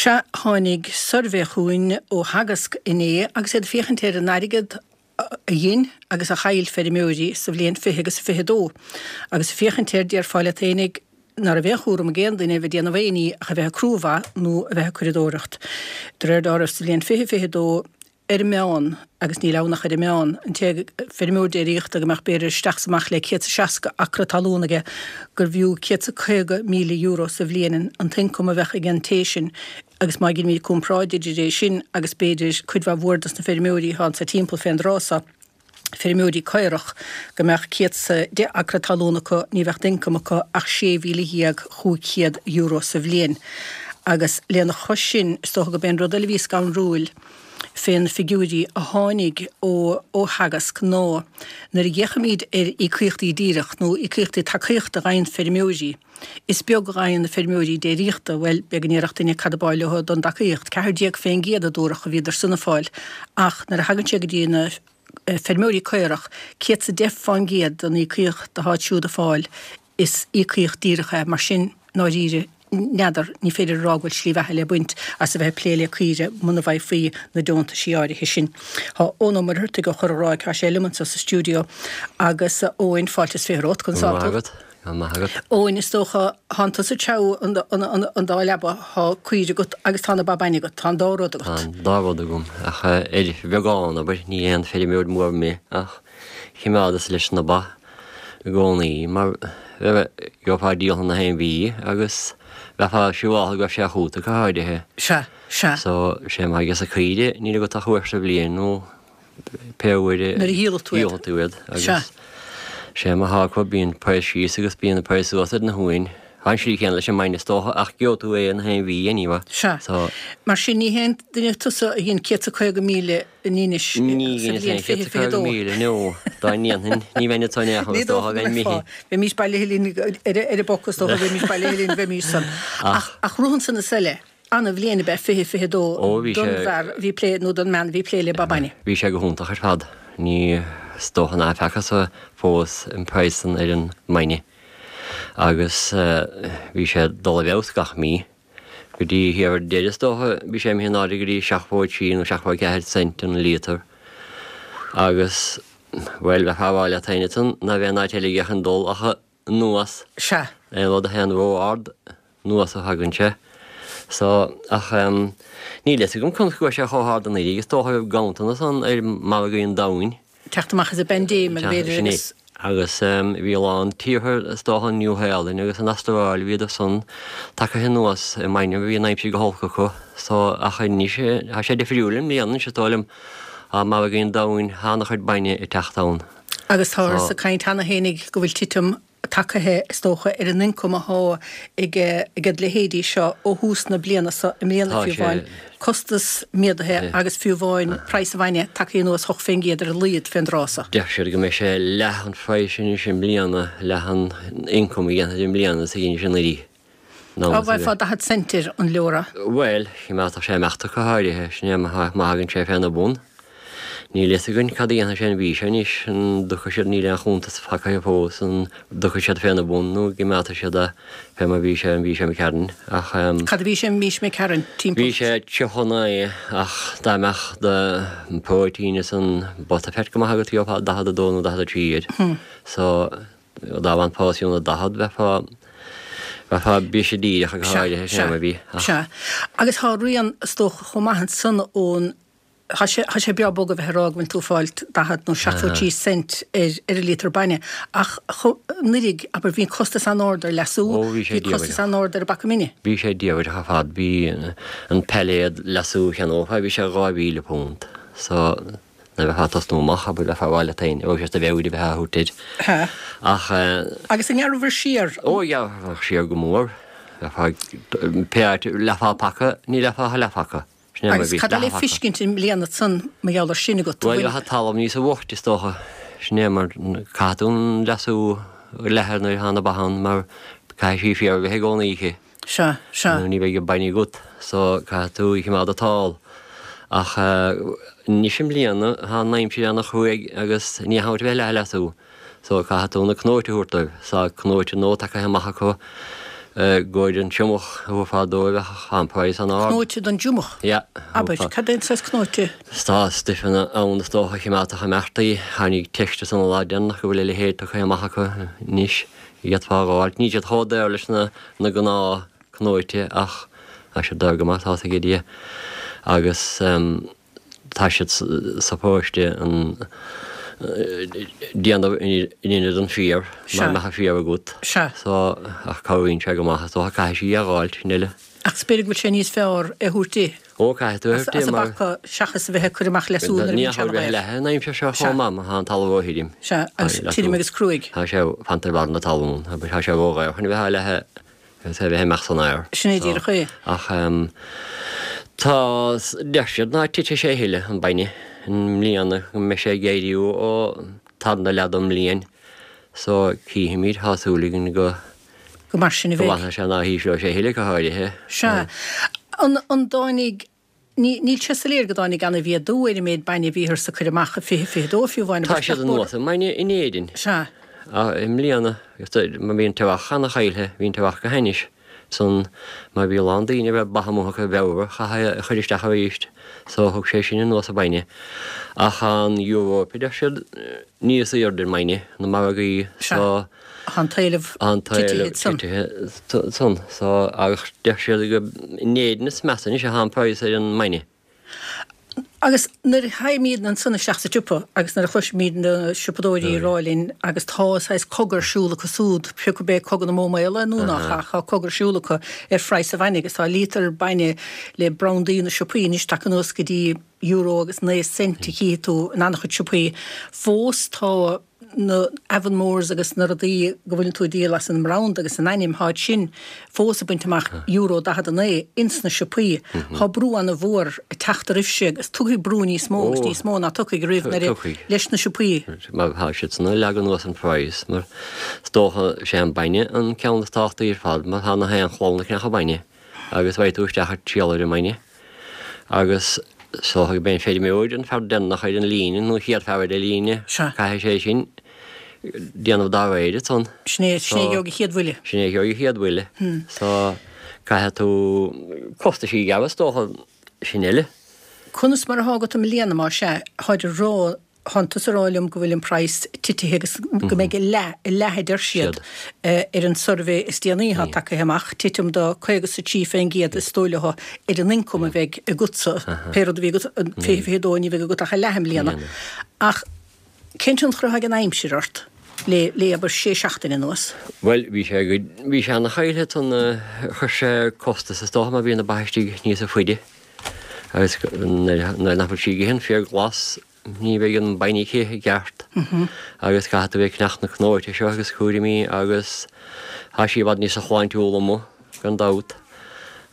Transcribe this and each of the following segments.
Sea, tháinig suirbhé chugainn ó Theagasc inné agus iad ag féachaint ar an airgead a ghin agus a chaill feirmeoirí sa bhliain 20 agus 22. Agus ag féachaint air, déarfá leat fhéinig ná raibh aon chúram ag aon duine a bheith ag déanamh aon ní ach a bheith ag crú ba nó a bheith ag curadóireacht. De réir dealraimh sa bhliain 2022, ar an meán, agus níl ann ach ar an meán, an té feirmeoir déiríochta go mbeadh b'fhéidir isteach is amach le 160 acra talún aige, gurbh fhiú €150,000 sa bhliain an t-ioncam a bheadh ag an té sin, agus má dheinimid comparáid idir é sin agus b'fhéidir cuid mhaith mhór dos na feirmeoirí atá anso timpeall fén dtráth so. feirmeoirí caorach, go mbeadh 110 acra talún acu, ní bheadh d'ioncam acu ach €16,500 sa bhliain. Agus lena chois sin, is dócha gurb é an rud eile a bhí scanrúil fé na figiúirí a tháinig ó ó Theagasc ná nuair a fhéachaimid ar íocaíochtaí díreach nó íocaíochtaí tacaíochta a fhaigheann feirmeoirí, is beag a fhaigheann na feirmeoirí déiríochta, bhuel, beag a ndéarfadh duine cad ab áil leo don dtacaíocht, 14% a dúradh a bhíodar san ag fáil, ach nuair a thagann sé go dtí na feirmeoirí caorach, 110% den íocaíocht atáid siúd ag fáil, is íocaíocht díreach é. Mar sin, i ndáiríre, n'fheadar, ní féidir a rá go bhfuil slí bheatha le baint as a bheith ag plé le caoire muna bhfaighfí na deontaisí áirithe sin. Tá Eoin Ó Muircheartaigh ó Chorr an Ráig, tá sé liom anseo sa stiúideo agus a Eoin, fáilte is 20 romhat, conas tá tú? Go maith agat. Eoin, is dócha, thánn tusa ag treabhadh an dá leaba, thá caoire agat agus tá na ba bainne agat, tá an dá rud agat. Tá an dá rud agam, ach ar bheagán, abair, ní aon feirmeoir mór mé ach chimeádas leis na ba i gcónaí mar gheofá díol na haon mhí agus bheifeá siúráltha go raibh sé chugat go háirithe. Sea, sea. So, sé mar ages na caoire, níl agat ach uair sa bhliain nó pé uair a Nuair a dhíolfaidh tú iad. dhíolfaidh tú iad agus sé má thá acu bíonn praghas síos agus bíonn praghas suas ar na huain. Tá an slí chéanna leis an mbainne is dócha ach gheobhaidh tú é na haon mhí anyway. Sea. So. Mar sin ní haon duine tusa a dhein 150,000 in Inis sa Ní dheineas bhliain aon 2022. 150,000 no. Dá ndéanfainn ní bheinn anso in aon chor Ní is dócha dócha go bheinn mbeifeá. imithe. Bheimís bailithe linn ar an bpoc is dócha bheimís bailithe linn bheimís san. Ach. Ach rud ansan is eile. Ana-bhliain ab ea 2022 Ó, bhí don sé. bhfear a bhí ag plé, nó don mbean a bhí ag plé le ba bainne. Bhí sé go hiontach ar fad. Ní, is dócha ná feacthas fós an praghas san ar an mbainne. Agus bhí sé ag dul i bhfeabhas gach mí. Go dtí thiar ar deireadh is dócha, bhí sé imithe in airde go dtí 73 nó 74 cent an líotar. Agus, bhuel, bheifeá a rá leat féin ansan ná bheadh aon áit eile aige chun dul ach anuas. Sea. Aon rud a théann ró-ard, anuas a thagann sé. So, ach em, níl fhios agam conas go raibh sé chomh hard anuraidh, is dócha go raibh ganntanas ann ar mhargaí an domhain. Teacht amach as an bpaindéim, b'fhéidir, Sin é. agus. Agus em, bhí a lán tíortha, is dócha an Nua Shéalainn agus an Astráil, bhíodar san tagtha anuas i mbainne, bhí an aimsir go holc acu. So, ach anois, tá sé difriúil i mbliana anois, is dóigh liom, tá margaí an domhain, tá an-chuid bainne ag teacht ann. Agus táthar ag caint cheana fhéinig go bhfuil titim tagtha, is dócha, ar an ioncam athá ag ag leithéidí seo ó thús na bliana seo i mbliana Tá fiú sé. amháin, costas méadaithe agus fiú amháin praghas an bhainne tagtha anuas 8% ar a laghad fén dtráth seo. Deir siad go mbeidh sé leath an phraghais anois i mbliana, leath an ioncaim a dhéanfaid i mbliana is a dhein sé anuraidh. Á bhfaighfeá 40 cent ar an leora. Bhuel, chimeádfadh sé imeacht go háirithe, sin é má thagann sé féna bun. Níl fhios againn cad a dhéanfaidh sé an mhí seo anois, an dtiocfaidh siad, níl aon chuntas faighte fós, an dtiocfaidh siad féna bun nó an gcimeádfaidh siad é fé mar bhí sé an mhí seo imigh tharainn, ach. Cad a bhí sé an mhí seo imigh tharainn, timpeall? Bhí sé 39 ach dá mbeadh do próitéin is an butterfat go maith agat gheofá 42 nó 43 air. So. Dá bhfanfá os cionn 40 bheifeá, bheifeá briseadh díreach go Sea, háirithe, sin sea, é mar bhí. Ach. sea. Agus thá rian, is dócha, chomh maith ansan ón, thá sé, thá sé breá bog a bheith ag rá go bhfuil tú ag fáilt 40 nó 73 cent ar, ar an líotar bainne, ach cho, anuraidh, abair, bhí an costas an-ard ar leasú, Ó, bhí sé bhí costas diabhaireach. an-ard ar an bpaca mine. Bhí sé diabhaireach ar fad, bhí an peilléad leasú a cheannófá, bhí sé £2,000. So. Nuair a bheifeá ag tosnú amach, abair, bheifeá ag rá leat féin, raibh sé do mheabhair a bheith á thabhairt air. Sea. Ach. Agus an ngearrabhair siar? Ó, ghearrfadh siar go mór. Bheifeá ag, pé áit, leathphá paca, ní leathphá ach leathphaca. Sin é mar a bhí, Agus cad é le leathphaca. feiscint i mbliana ansan mar gheall ar sin agat? Bhuel, bheadh an talamh níosa bhoichte, is dócha. Sin é mar, caithfidh tú an leasú a leathadh nuair atá na ba ann mar caithfidh sí féar a bheith i gcónaí aici. Sea, sea. Nó ní bheidh an bainne agat so caithfidh tú í chimeád tall. Ach anois i mbliana tá an aimsir ana chruaidh agus ní hamháin a bheith leath leasú so caithfidh tú na cnóite a thabhairt dóibh. Tá cnóite nua tagtha amach acu. I gcomhair an triomach a thabharfá dóibh ach tá an praghas an-ard. Cnóite don dtriomach? Yeah. Abair, cad é an saghas cnóite? Tá stuifeanna ann is dócha a chimeádfadh ag imeacht í. Tháinig teist ansan an lá deireanach go bhfuil a leithéid tugtha amach acu anois a d'fhéadfá a dh'fháilt. Níl siad chomh daor leis na na gnáth cnóite ach tá siad daor go maith tá's ag Dia. Agus. Tá siad supposed an déanamh in ionad an féar, mar mbeadh an féar agat. Sea. So, ach cabhraíonn sé go maith, is dócha caithfidh sí é a dh'fháilt, sin uile. Ach is b'fhéidir go bhfuil sé níos fearr é a thabhairt di. Ó, caithfidh tú é a thabhairt di, mar. As a bpaca, seachas a bheith ag cur amach le sú nuair a bhíonn sé an-ghaoth. Ní ag leathadh an aimsir seo chomh maith, má tá an talamh róthirim. Sea, agus tirim agus cruaidh. Tá sé fanta ar bharr na talún, tá sé róghaofar chun a bheith á leathadh. Agus é a bheith ag imeacht san aer. Sin é díreach é. Ach tá, deir siad ná titfidh sé a thuilleadh, an bainne, i mbliana, go mbeidh sé ag éirí ó tarna leath don mbliain. So, cífimid, tá súil againn go. Go mar sin a bheidh. Go bhfanfaidh sé ná hísleoidh sé a thuilleadh go háirithe. Sea. An, an dtáinig, ní, níl sé soiléir go dtáinig ana-mhéadú ar an méid bainne a bhíothas ag cur amach i 20, 22 fiú amháin. Tá siad anuas i mbainne in Éirinn. Sea. I mbliana, mar bhí an t-earrach ana-chaillthe, bhí an t-earrach go hainnis san, mar bhí a lán daoine a raibh ba amuigh acu i bhFeabhra, chaithfí é a chur isteach arís, so thug sé sin anuas an bainne. Ach an Europe, deir siad, níos airde i mbainne, na margaí, so. Tá an t-éileamh titithe ansan. So, ach deir siad go in Éirinn is measa anois atá an praghas ar an mbainne. Agus nuair a théimid ansan isteach sa tsiopa agus nuair a chloisimid na siopadóirí ag rá linn agus tá saghas cogadh ar siúl acu súd, pé acu é cogadh na mbó maola nó nach ea, tá cogadh ar siúl acu ar phraghas an bhainne agus tá líotar bainne le brandaí na siopaí anois tagtha anuas go dtí euro agus 9 cent a chífidh tú in an-chuid siopaí. Fós tá na Avonmores agus na rudaí go bhfuileann tú ag díol as an mbranda agus an ainm, táid sin fós ag baint amach euro 49 ins na siopaí. Tá brú ana-mhór ag teacht oraibhse agus tiocfaidh brú níos mó agus níos mó ná tiocfaidh roimh nuair a leis na siopaí. Mar tá siad san ag leagan anuas an praghas mar is dócha sé an bainne an ceann is tábhachtaí ar fad mar tá na haon chlann ag ceannach an bainne agus raghaidh tú isteach ag triall ar an mbainne. Agus is dócha gurb é an feirmeoir an fear deireanach ar an líne, nó an chéad fear ar an líne, caithfidh sé sin déanamh dá réir ansan. Sin é, sin é a gheobhaidh an chéad bhuille. Sin é a gheobhaidh an chéad bhuille. So, caithfidh tú costaisí a ghearradh is dócha, sin eile. Conas mar atá agat i mbliana, más ea, táid ag rá Thánn tusa ag rá liom go bhfuil an praghas titithe agus go mbeidh a leath, a leath a deir siad, ar an suirbhé is déanaí atá tagtha amach, titim de 53% is dóigh leo ar an ioncam a bheidh agatsa, pé rud a bhí agat in 2022 ní bheidh agat ach a leath i mbliana. Ach cén tionchar atá ag an aimsir ort le, le abair sé seachtaine anuas? Bhuel, bhí sé, bhí sé ana-chaillthe ansan, chuir sé costas is dócha mar bhí na ba istigh níosa faide agus nuair nach bhfuil sí ag ithe an féar glas, Ní bheidh an bainne aici i gceart agus caithfidh tú bheith ag ceannacht na cnóite seo agus cúraimí agus tá sí i bhfad níosa shláintiúla amuigh gan dabht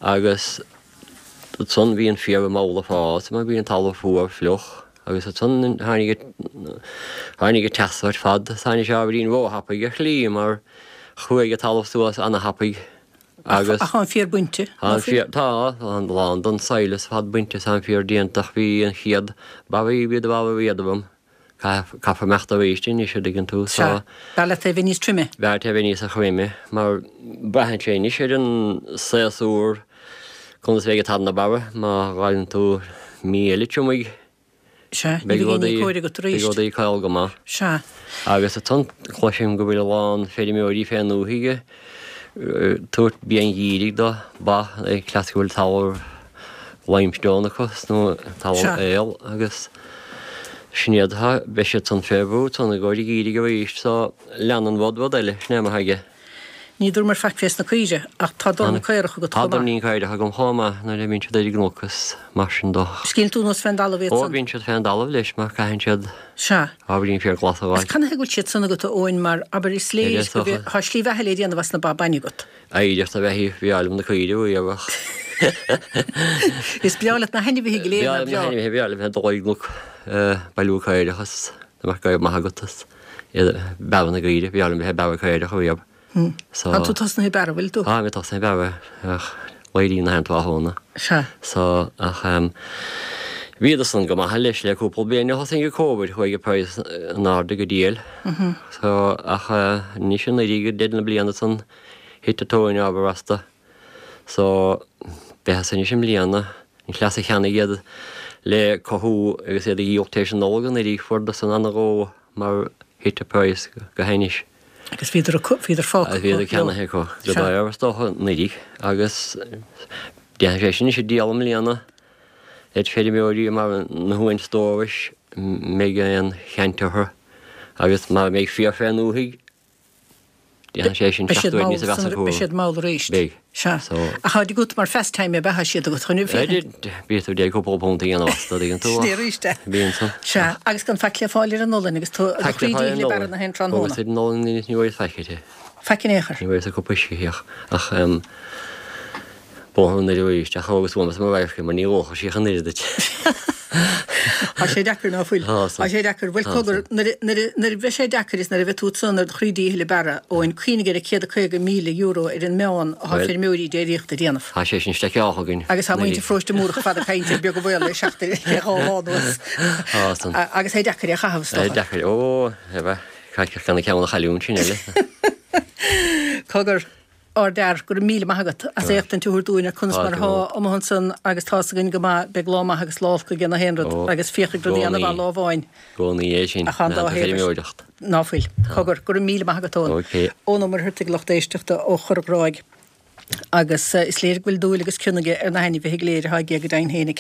agus ansan bhí an féar mall ag fás mar bhí an talamh fuar fliuch agus ansan tháinig tháinig an teas ar fad tháinig sé ábhairín róthapaidh ar shlí mar chuaigh an talamh suas ana-thapaidh Agus. Ach tá an féar bainte, ná fuil? Tá, tá a lán den sail is fad bainte is an féar déanta ach bhí an chéad barraí bhí de bharra éadrom. Caithfear imeacht arís anois a dtuigeann tú so. Sea. B'fhearr leat é a bheith níos troime. B'fhearr leat é a bheith níosa throime mar braitheann sé anois ar an séasúr conas a bheidh an tarna barra má dh'fhaigheann tú mí eile triomaigh. Sea, ní bheidh aon ní cóir agat arís. Beidh rudaí caol go maith. Sea. Agus ansan cloisim go bhfuil a lán feirmeoirí fén ndúthaigh ag tabhairt bia an gheimhridh do ba, ag cleas go bhfuil talamh limestone acu nó talamh aol agus sin iad atá, beidh siad san fé bhrú ansan i gcomhair an gheimhridh arís so leanann rud rud eile, sin é mar thuige. Ní dúramar faic fés na caoire, ach tá dorn caorach agat chomh maith. Tá doirnín caorach agam chomh maith nuair a bhíonn siad ar an gcnoc is mar sin do. Is cíonn tú anuas fén dtalamh iad san? Ó, bíonn siad fén dtalamh leis mar caitheann siad Sea. ábhairín féar glas a fháil. Is canathaobh go bhfuil siad san agat a Eoin mar, abair, is léir go bhfuil, tá slí bheatha le déanamh as na ba bainne agat. Oidhreacht a bheith í, bhreá liom na caoire a ach. Is breá leat na hainmhithe go léir, nach breá? Bhreá liom na hainmhithe, bhreá liom bheith ag dul ar an gcnoc bailiú caorach is dá mbeadh gaibh maith agat is. Bearradh na gcaoire, bhreá liom bheith ag bearradh caorach ariamh. So. Tá tú tosnaithe ag bearradh, bhfuil tú? Tá mé tosnaithe ag bearradh ach léiríonn na haon tráthnóna. Sea. So, ach ehm, bhíodar san go maith leis le cúpla bliain ó thosaigh an Covid, chuaigh an praghas in airde go diail. So, ach anois anuraidh go deireadh na bliana san. Thit an tóin ábhar astu. So, bheadh anois i mbliana, an cleas a cheannaigh iad le cothú agus iad a dhíol tar éis an Nollag anuraidh, fuaireadar san ana-ghó mar thit an praghas go hainnis. Agus bhíodar acu, bhíodar fágtha acu. Bhíodar ceannaithe acu go daor is dócha anuraidh agus déanfaidh sé sin anois an diabhal i mbliana le feirmeoirí mar na huain stórais mbeidh aon cheant orthu agus mara mbeidh féar fén ndúthaigh Déanfaidh sé sin 7 uair níos mheasa acu. Beidh siad mall arís. Beidh. Sea. So. Ach táid agat mar phastime ab ea, tá siad agat chun féachaint. Bíonn tú ag cúpla punt a dhéanamh astu, dtuigeann tú. Sin é arís é. Bíonn san. Sea. Agus gan faic le fáil ar an olann agus tú do chroí díchill ag bearradh na haon tráthnóna. Agus ar an olann ní bhfuair faic uirthi. Faic in aon chor. Ní bhfuair sa cup uisce ach ach bóthar an Doire arís ach thógas uaim as mo radharc é mar ní dhóchadh sí ach an oiread duit. Tá sé deacair ná fuil. Tá sé deacair. Bhuel cogar, nuair a bheidh sé deacair is nuair a bheidh tú ansan ar do chroí díchill ag bearradh, Eoin, cuimhnigh ar an €150,000 ar an meán atá feirmeoirí déiríochta ag déanamh. Tá sé sin steiceáltha againn. Agus tá muintir Pharóiste Múrach ar fad ag caint ar beag a bhaol le seachtain le dhá lá anuas. Tá san. Agus é deacair é a chaitheamh, is dócha. É deacair. Ó, caithfidh gan an ceann a chailliúint sin eile. Cogar. Ár bhfear, go raibh míle maith agat as éachtaint a thabhairt dúinn ar conas mar atá amuigh ansan agus tá's againn go maith, beidh lá maith agus lá olc ag na haon rud agus féach ag rudaí ana mhaith lá amháin. gcónaí é sin, ach an dá thaobh. Ná fuil. Cogar, go raibh míle maith agat Eoin. Eoin Ó Muircheartaigh lucht éisteachta ó Chorr an Ghráig agus is léir go bhfuil dúil agus cion aige ar na hainmhithe go léir atá aige go deimhin fhéinig.